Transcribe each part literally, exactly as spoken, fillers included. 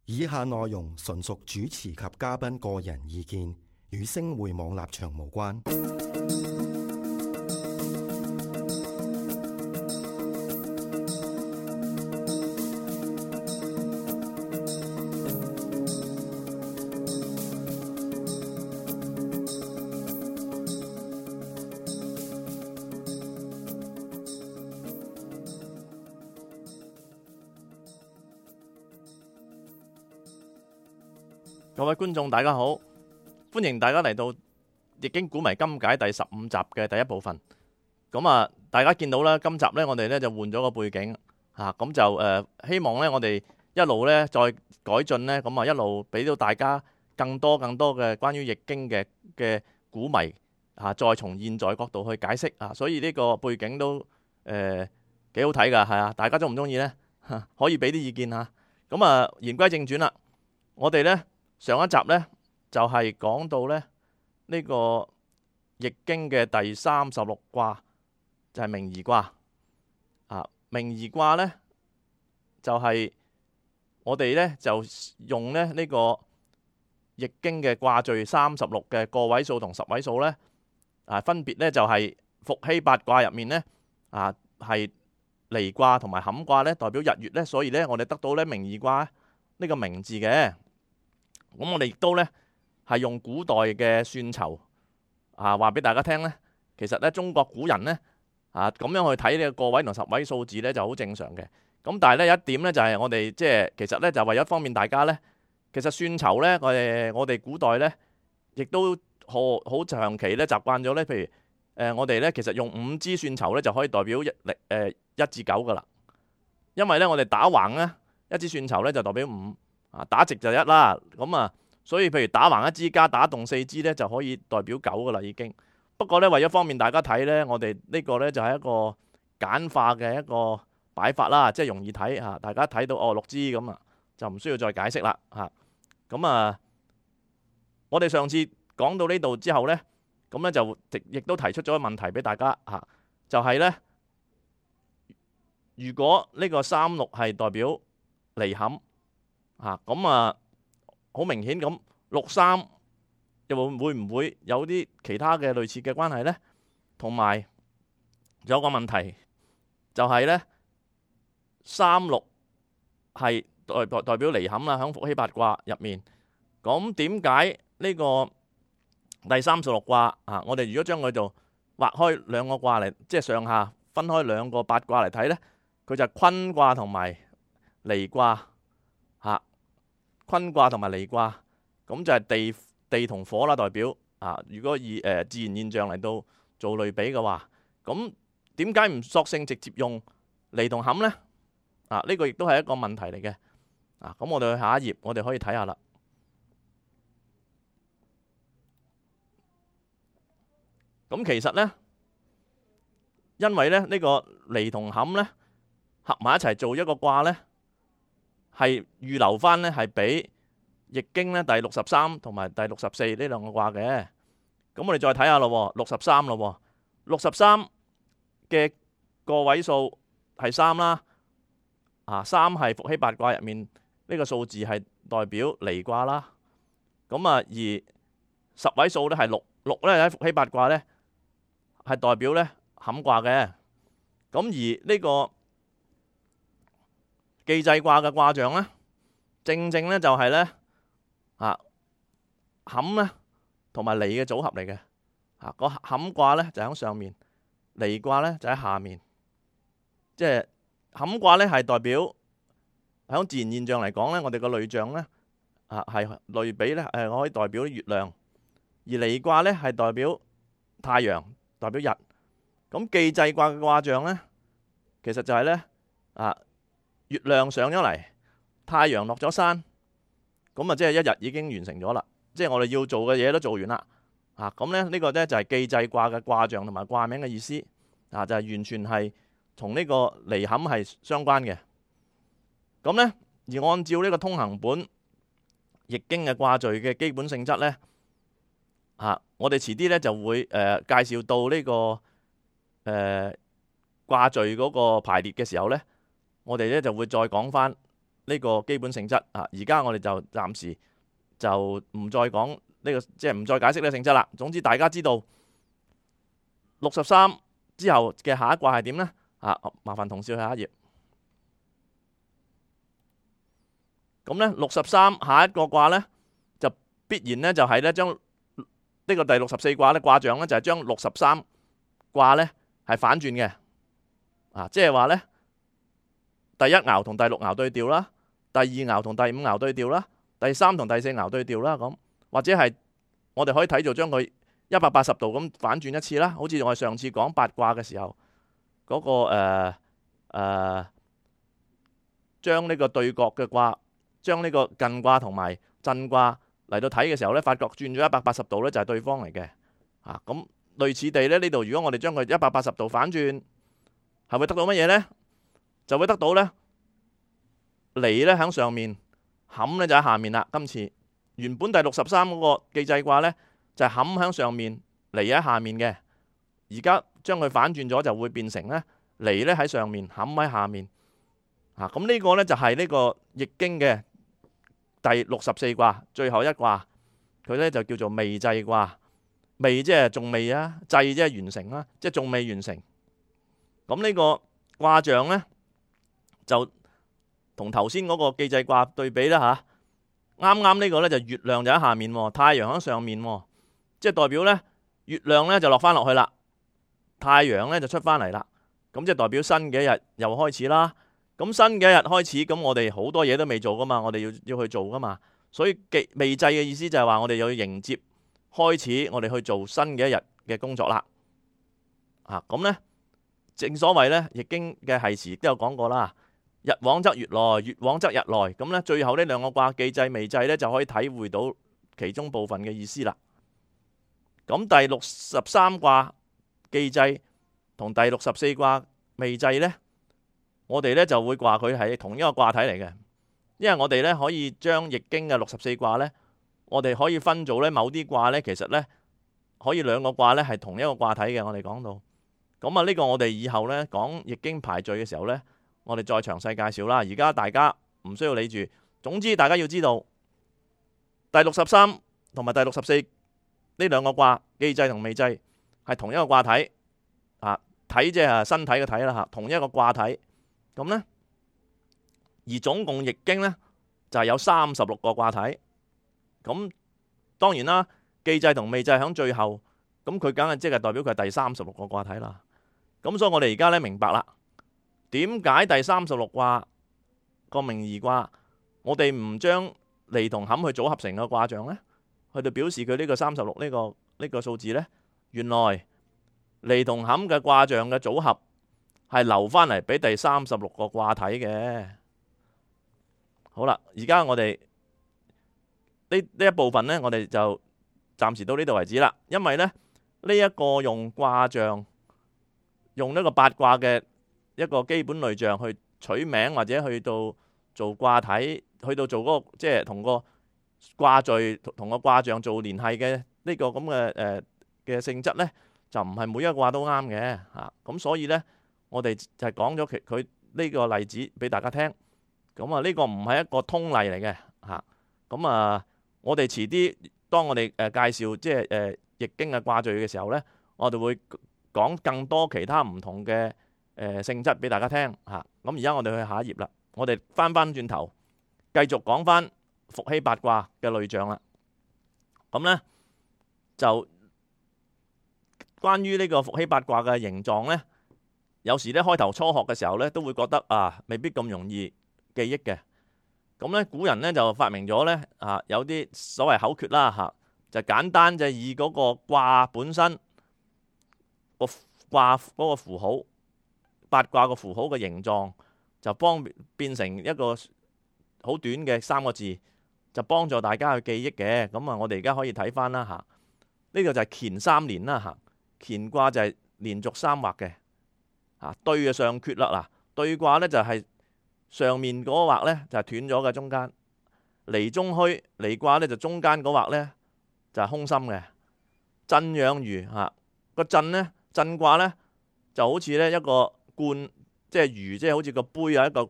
以下內容純屬主持及嘉賓個人意見，與星匯網立場無關。各位觀眾大家好，歡迎大家嚟到《易經古謎今解》第十五集嘅第一部分。咁啊，大家見到啦，今集呢，我哋呢就換咗個背景嚇，咁就誒希望呢，我哋一路呢再改進呢，咁啊一路俾到大家更多更多嘅關於易經嘅嘅古謎嚇，再從現在角度去解釋啊，所以呢個背景都誒幾好睇㗎，係啊，大家中唔中意呢？可以俾啲意見嚇。咁啊，言歸正傳啦，我哋呢。上一集呢，就係、是、講到咧呢、這個易經嘅第三十六卦就係、是、明夷卦啊。明夷卦呢，就係、是、我哋呢，就用咧呢、這個易經嘅卦序三十六嘅個位數同十位數呢，啊，分別呢就係伏羲八卦入面呢，啊係離卦同埋坎卦呢代表日月呢，所以呢，我哋得到呢明夷卦呢個明字嘅。咁我哋亦都咧係用古代嘅算籌啊，話俾大家聽咧。其實咧，中國古人咧啊咁樣去睇呢個個位同十位數字咧就好正常嘅。咁但係咧有一點咧就係我哋即係其實咧就為咗方便大家咧，其實算籌咧我哋我哋古代咧亦都好好長期咧習慣咗咧。譬如誒我哋咧其實用五支算籌咧就可以代表一力誒一至九噶啦。因為咧我哋打橫咧一支算籌咧就代表五。啊，打直就一啦，咁啊，所以譬如打橫一支加打戙四支咧，就可以代表九噶啦已經。不過咧，為咗方便大家睇咧，我哋呢個咧就係一個簡化嘅一個擺法啦，即係容易睇嚇。大家睇到哦六支咁啊，就唔需要再解釋啦嚇。咁啊，我哋上次講到呢度之後咧，咁咧就亦都提出咗個問題俾大家嚇，就係咧，如果呢個三六係代表離坎。嚇咁啊，好明顯咁六三又會會唔會有啲其他嘅類似嘅關係呢？同埋有個問題就係呢，三六係代代代表離坎啦，喺伏羲八卦入面。咁點解呢個第三十六卦啊？我哋如果將佢做劃開兩個卦嚟，即係上下分開兩個八卦嚟睇呢，佢就係坤卦同埋離卦。嚇，坤卦同埋離卦，咁就係地地同火啦，代表啊。如果以誒、呃、自然現象嚟到做類比嘅話，咁點解唔索性直接用離同坎呢？啊，呢、這個亦都係一個問題嚟嘅。啊，咁我哋去下一頁，我哋可以睇下啦。咁其實呢，因為咧呢、這個離同坎呢，合埋一齊做一個卦呢。係預留翻咧，係俾易經咧第六十三同埋第六十四呢兩個卦嘅。咁我哋再睇下咯，六十三咯，六十三嘅個位數係三啦。啊，三係伏羲八卦入面呢個數字係代表離卦啦。咁啊，而十位數咧係六，六咧喺伏羲八卦咧係代表咧坎卦嘅。咁而呢個既濟卦嘅卦象咧，正正咧就係咧啊坎咧同埋離嘅組合嚟嘅。啊，個坎卦咧就喺上面，離卦咧就喺下面。即係坎卦咧係代表喺自然現象嚟講咧，我哋個類象咧啊係類比咧誒，可以代表月亮；而離卦咧係代表太陽，代表日。咁既濟卦嘅卦象咧，其實就係咧啊。月亮上咗嚟，太陽落咗山，咁啊即係一日已經完成咗啦。即係我哋要做嘅嘢都做完啦。啊，咁咧呢個咧就係既濟卦嘅卦象同埋卦名嘅意思。啊，就係完全係同呢個離坎係相關嘅。咁咧而按照呢個通行本易經嘅卦序嘅基本性質咧，啊我哋遲啲咧就會誒、呃、介紹到呢、這個誒、呃、卦序嗰個排列嘅時候咧，我哋咧就會再講翻呢個基本性質啊。而家我哋就暫時就唔再講呢、這個，即係唔再解釋呢個性質啦。總之大家知道六十三之後嘅下一卦係點咧？啊，麻煩同事去下一頁。咁咧六十三下一個卦咧就必然咧就係咧將呢個第六十四卦咧卦象咧就係將六十三卦咧係反轉嘅。啊，即係話咧第一爻同第六爻對調啦，第二爻同第五爻對調啦，第三同第四爻對調啦，咁或者係我哋可以睇做將佢一百八十度咁反轉一次啦。好似我哋上次講八卦嘅時候嗰、那個誒誒將呢個對角嘅卦，將呢個艮卦同埋震卦嚟到睇嘅時候咧，發覺轉咗一百八十度咧就係對方嚟嘅。啊，咁類似地咧呢度，如果我哋將佢一百八十度反轉，係會得到乜嘢咧？就會得到咧離咧喺上面，坎咧就喺下面啦。今次原本第六十三嗰個既濟卦咧就係坎喺上面，離喺下面嘅。而家將佢反轉咗，就會變成咧離咧喺上面，坎喺下面。啊，咁呢個咧就係呢個易經嘅第六十四卦最後一卦，佢咧就叫做未濟卦。未即係仲未啊，濟即係完成啦，即係仲未完成。咁呢個卦象咧就同頭先嗰個既濟卦對比啦吓。啱啱呢個咧就月亮就喺下面，太陽喺上面，即係代表咧月亮咧就落翻落去啦，太陽咧就出翻嚟啦。咁即係代表新嘅一日又開始啦。咁新嘅一日開始，咁我哋好多嘢都未做噶嘛，我哋要要去做噶嘛。所以未濟嘅意思就係話我哋要迎接開始，我哋去做新嘅一日嘅工作啦。啊，咁咧正所謂咧，易經嘅繫辭都有講過啦。日往則月來，月往則日來。咁咧最後呢兩個卦既濟未濟咧，就可以體會到其中部分嘅意思啦。咁第六十三卦既濟同第六十四卦未濟咧，我哋咧就會話佢係同一個卦體嚟嘅，因為我哋咧可以將易經嘅六十四卦咧，我哋可以分做咧某啲卦咧，其實咧可以兩個卦咧係同一個卦體嘅。我哋講到咁啊，呢個我哋以後咧講易經排序嘅時候咧，我哋再詳細介紹啦。而家大家唔需要理住，總之大家要知道第六十三同埋第六十四呢兩個卦既濟同未濟係同一個卦體啊，體即係身體嘅體啦吓，同一個卦體。咁咧，而總共易經咧就係有三十六個卦體。咁當然啦，既濟同未濟喺最後，咁佢梗係即係代表佢係第三十六個卦體啦。咁所以我哋而家咧明白啦，點解第三十六卦個命二卦，我哋唔將離同坎去組合成個卦象咧，去到表示佢呢個三十六呢個呢個數字咧？原來離同坎嘅卦象嘅組合係留翻嚟俾第三十六個卦體嘅。好啦，而家我哋呢呢一部分咧，我哋就暫時到呢度為止啦。因為咧呢一個用卦象，用呢個八卦嘅一個基本類象去取名，或者去到做卦體，去到做嗰個即係同個卦序同個卦象做聯繫嘅呢個咁嘅誒嘅性質咧，就唔係每一個卦都啱嘅嚇。咁所以咧，我哋就係講咗佢佢呢個例子俾大家聽。咁啊，呢個唔係一個通例嚟嘅嚇。咁啊，我哋遲啲當我哋誒介紹即係誒易經嘅卦序嘅時候咧，我哋會講更多其他唔同嘅誒性質俾大家聽嚇。咁而家我哋去下一頁啦，我哋翻翻轉頭繼續講翻伏羲八卦嘅類象啦。咁咧就關於呢個伏羲八卦嘅形狀咧，有時咧開頭初學嘅時候咧都會覺得啊未必咁容易記憶嘅。咁咧古人咧就發明咗咧啊有啲所謂口訣啦嚇，就簡單就以嗰個卦本身個卦嗰個符號，八卦個符號嘅形狀，就幫變成一個好短嘅三個字，就幫助大家去記憶嘅。咁啊，我哋而家可以睇翻啦嚇，呢個就係乾三連啦嚇，乾卦就係連續三畫嘅嚇，對嘅上缺啦嗱，對卦咧就係上面嗰畫咧就係斷咗嘅中間，離中虛離卦咧就中間嗰畫咧就係空心嘅。震養魚嚇，個震咧震卦咧就好似咧一個罐，即係魚，即係好似個杯啊一個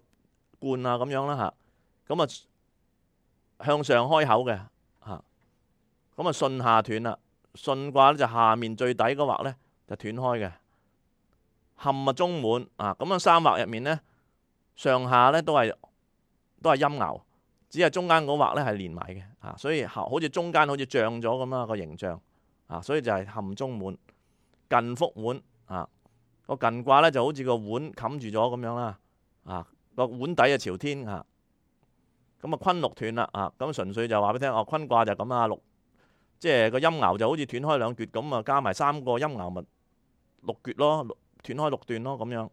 罐啊咁樣啦嚇。咁啊向上開口嘅嚇，咁啊巽下斷啦。巽卦咧就下面最底嗰畫咧就斷開嘅。坎啊中滿啊，咁樣三畫入面咧上下咧都係都係陰爻，只係中間嗰畫咧係連埋嘅嚇，所以好似中間好似漲咗咁啦個形象啊，所以就係坎中滿。艮覆碗啊，個艮卦咧就好似個碗冚住咗咁樣啦啊，個碗底啊朝天啊，咁啊坤六斷啦啊，咁純粹就話俾你聽哦，坤卦就咁啊六，即係個陰爻就好似斷開兩橛咁啊，加埋三個陰爻咪六橛咯，斷開六段咯咁樣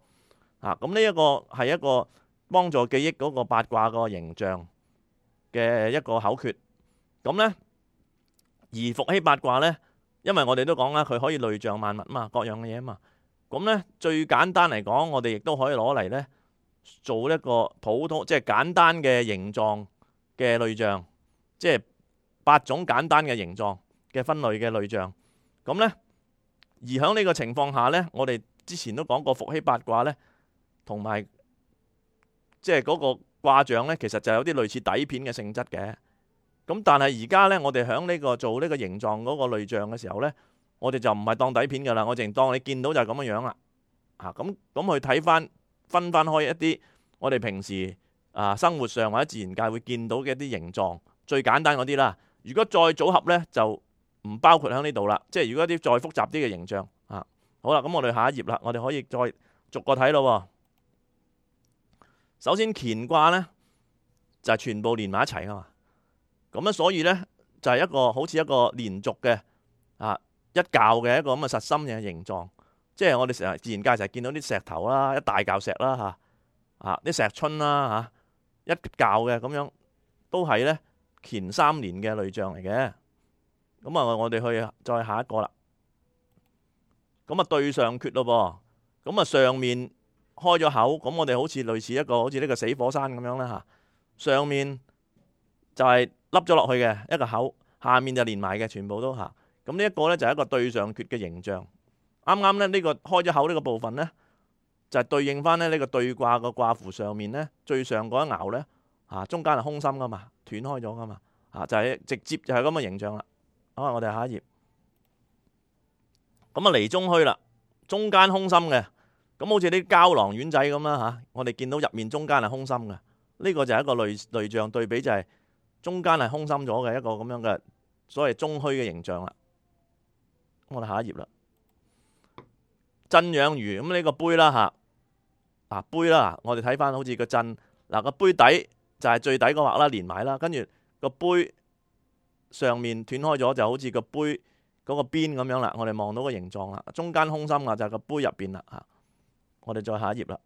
啊，咁呢一個係一個幫助記憶嗰個八卦個形象嘅一個口訣。咁咧而伏羲八卦咧，因為我哋都講啦，佢可以類象萬物嘛，各樣嘅嘢嘛。咁咧最簡單嚟講，我哋亦都可以攞嚟咧做一個普通即係簡單嘅形狀嘅類象，即係八種簡單嘅形狀嘅分類嘅類象。咁咧而喺呢個情況下咧，我哋之前都講過伏羲八卦咧，同埋即係嗰個卦象咧，其實就有啲類似底片嘅性質嘅。咁但係而家咧，我哋喺呢個做呢個形狀嗰個類象嘅時候咧，我哋就唔係當底片噶啦，我淨當你見到就係咁樣樣啦。啊，咁咁去睇翻分翻開一啲我哋平時啊生活上或者自然界會見到嘅一啲形狀，最簡單嗰啲啦。如果再組合咧，就唔包括喺呢度啦。即係如果啲再複雜啲嘅形象啊，好啦，咁我哋下一頁啦，我哋可以再逐個睇咯。首先乾卦咧就係全部連埋一齊噶嘛。咁咧，所以咧就係一個好似一個連續嘅啊一嚿嘅一個咁嘅實心嘅形狀，即係我哋成日自然界成日見到啲石頭啦，一大嚿石啦嚇啊啲石春啦嚇一嚿嘅咁樣，都係咧乾三年嘅類象嚟嘅。咁啊，我哋去再下一個啦。咁啊，對上缺咯噃，咁啊上面開咗口，咁我哋好似類似一個好似呢個死火山咁樣啦嚇，上面就係凹咗落去嘅一個口，下面就連埋嘅，全部都嚇。咁呢一個咧就係一個對上缺嘅形象。啱啱咧呢個開咗口呢個部分咧，就係對應翻咧呢個對卦個卦符上面咧最上嗰一爻咧嚇，中間係空心噶嘛，斷開咗噶嘛嚇，就係直接就係咁嘅形象啦。好啊，我哋下一頁。咁啊離中虛啦，中間空心嘅，咁好似啲膠囊丸仔咁啦嚇。我哋見到入面中間係空心嘅，呢個就係一個類類象對比，就係中間係空心咗嘅一個咁樣嘅所謂中虛嘅形象啦。我哋下一頁啦。震養魚，咁呢個杯啦嚇，啊杯啦，我哋睇翻好似個震嗱個杯底就係最底嗰畫啦，連埋啦，跟住個杯上面斷開咗，就好似個杯嗰個邊咁樣啦。我哋望到個形狀啦，中間空心啊，就係個杯入邊啦嚇。我哋再下一頁啦。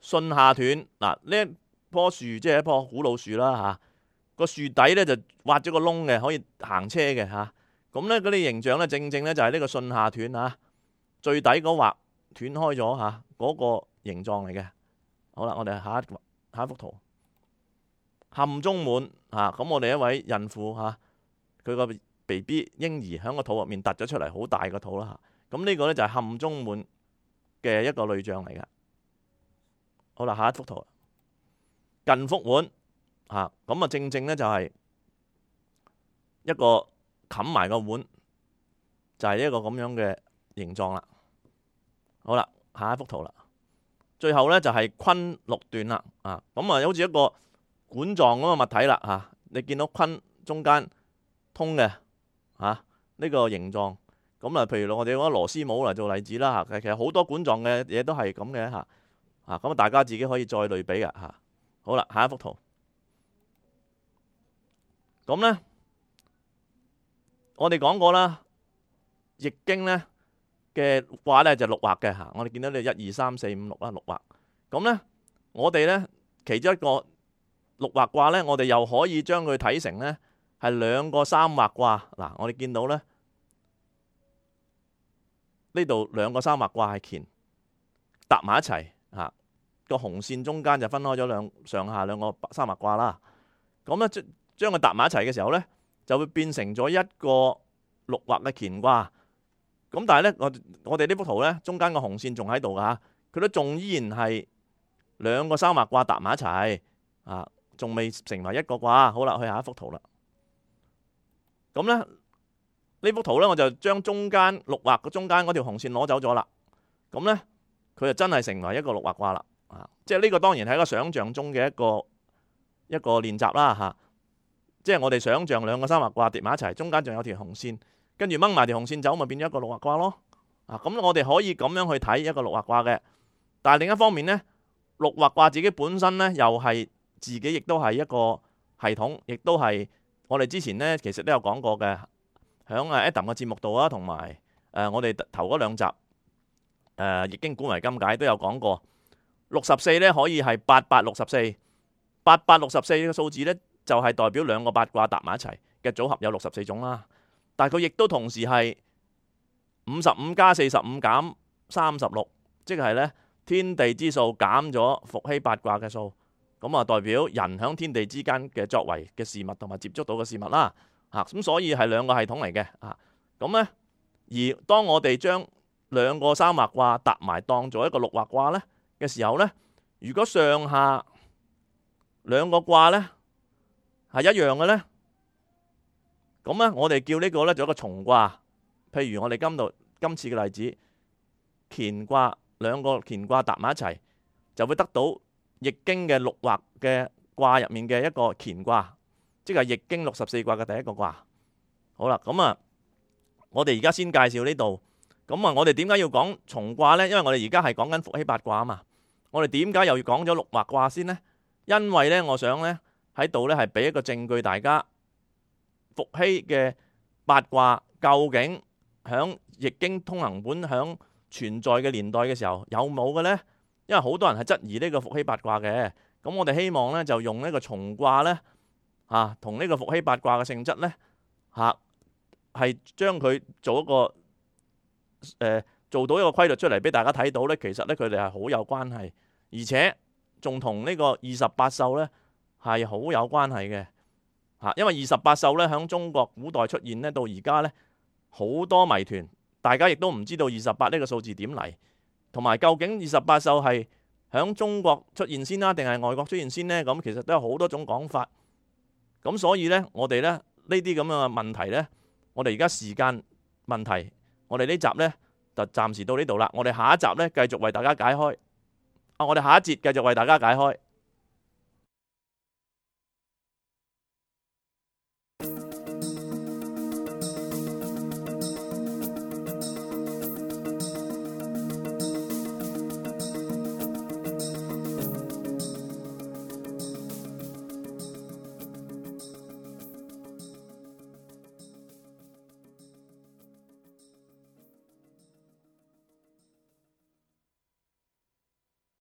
巽下斷嗱，呢一棵樹即係一棵古老樹啦嚇，個樹底咧就挖咗個窿嘅，可以行車嘅嚇。咁咧嗰啲形象咧，正正咧就係呢個巽下斷嚇，最底嗰畫斷開咗嚇，嗰個形狀嚟嘅。好啦，我哋下一下一幅圖，坎中滿嚇，咁我哋一位孕婦嚇，佢個 B B 嬰兒喺個肚入面突咗出嚟，好大個肚啦嚇。咁呢個咧就係坎中滿嘅一個類象嚟嘅。好啦，下一幅圖，艮覆碗嚇，咁啊正正咧就係一個冚埋個碗，就係一個咁樣嘅形狀啦。好啦，下一幅圖啦，最後咧就係坤六斷啦啊，咁啊好似一個管狀咁嘅物體啦嚇。你見到坤中間通嘅嚇呢個形狀，咁啊譬如我哋攞螺絲帽嚟做例子啦嚇，其實好多管狀嘅嘢都係咁嘅嚇。啊，咁大家自己可以再類比嘅嚇。好啦，下一幅圖。咁咧，我哋講過啦，易經咧嘅卦咧就六畫嘅嚇。我哋見到你一二三四五六啦，六畫。咁咧，我哋咧其中一個六畫卦咧，我哋又可以將佢睇成咧係兩個三畫卦。嗱，我哋見到咧呢度兩個三畫卦係乾搭埋一齊。嚇，個紅線中間就分開咗兩上下兩個三畫卦啦。咁咧將將佢搭埋一齊嘅時候咧，就會變成咗一個六畫嘅乾卦。咁但係咧，我我哋呢幅圖咧，中間個紅線仲喺度噶，佢都仲依然係兩個三畫卦搭埋一齊啊，仲未成為一個卦。好啦，去下一幅圖啦。咁咧呢幅圖咧，我就將中間六畫嘅中間嗰條紅線攞走咗啦。咁咧佢就真係成為一個六畫卦啦。啊，即係呢個當然係一個想像中嘅一個一個練習啦嚇、啊。即係我哋想像兩個三畫卦疊埋一齊，中間仲有條紅線。跟住掹埋條紅線走，咪變咗一個六畫卦咯。啊，咁我哋可以咁樣去睇一個六畫卦嘅。但係另一方面呢，六畫卦自己本身呢，又係自己亦都係一個系統，亦都係我哋之前呢其實都有講過嘅，響啊 Adam 嘅節目度啊，同埋誒我哋頭嗰兩集誒《易經古謎今解》都有講過。六十四呢可以係八八六十四，八八六十四嘅數字呢，就係代表兩個八卦搭埋一齊嘅組合有六十四種啦。但係佢亦都同時係五十五加四十五減三十六，即係咧天地之數減咗伏羲八卦嘅數，咁啊代表人響天地之間嘅作為嘅事物同埋接觸到嘅事物啦。嚇，咁所以係兩個系統嚟嘅。啊，咁咧而當我哋將兩個三畫卦搭埋當做一個六畫卦咧嘅時候咧，如果上下兩個卦咧係一樣嘅咧。咁咧，我哋叫呢個咧做一個重卦。譬如我哋今度今次嘅例子，乾卦兩個乾卦搭埋一齊，就會得到《易經》嘅六畫嘅卦入面嘅一個乾卦，即係《易經》六十四卦嘅第一個卦。好啦，咁啊，我哋而家先介紹呢度。咁啊，我哋點解要講重卦呢？因為我哋而家係講緊伏羲八卦啊嘛。我哋點解又要講咗六畫卦先呢？因為呢，我想呢喺度呢係俾一個證據大家。伏羲嘅八卦究竟響《易經通行本》響存在嘅年代嘅時候有冇嘅呢？因為好多人係質疑呢個伏羲八卦嘅，咁我哋希望呢就用呢個重卦呢，嚇同呢個伏羲八卦嘅性質呢，嚇係將佢做一個誒、呃、做到一個規律出嚟俾大家睇到呢。其實呢，佢哋係好有關係，而且仲同呢個二十八宿呢係好有關係嘅。嚇，因為二十八宿咧，喺中國古代出現咧，到而家咧好多謎團，大家亦都唔知道二十八呢個數字點嚟，同埋究竟二十八宿係喺中國出現先啦，定係外國出現先呢？咁其實都有好多種講法。咁所以咧，我哋咧呢啲咁樣嘅問題咧，我哋而家時間問題，我哋呢集咧就暫時到呢度啦。我哋下一集咧繼續為大家解開。啊，我哋下一節繼續為大家解開。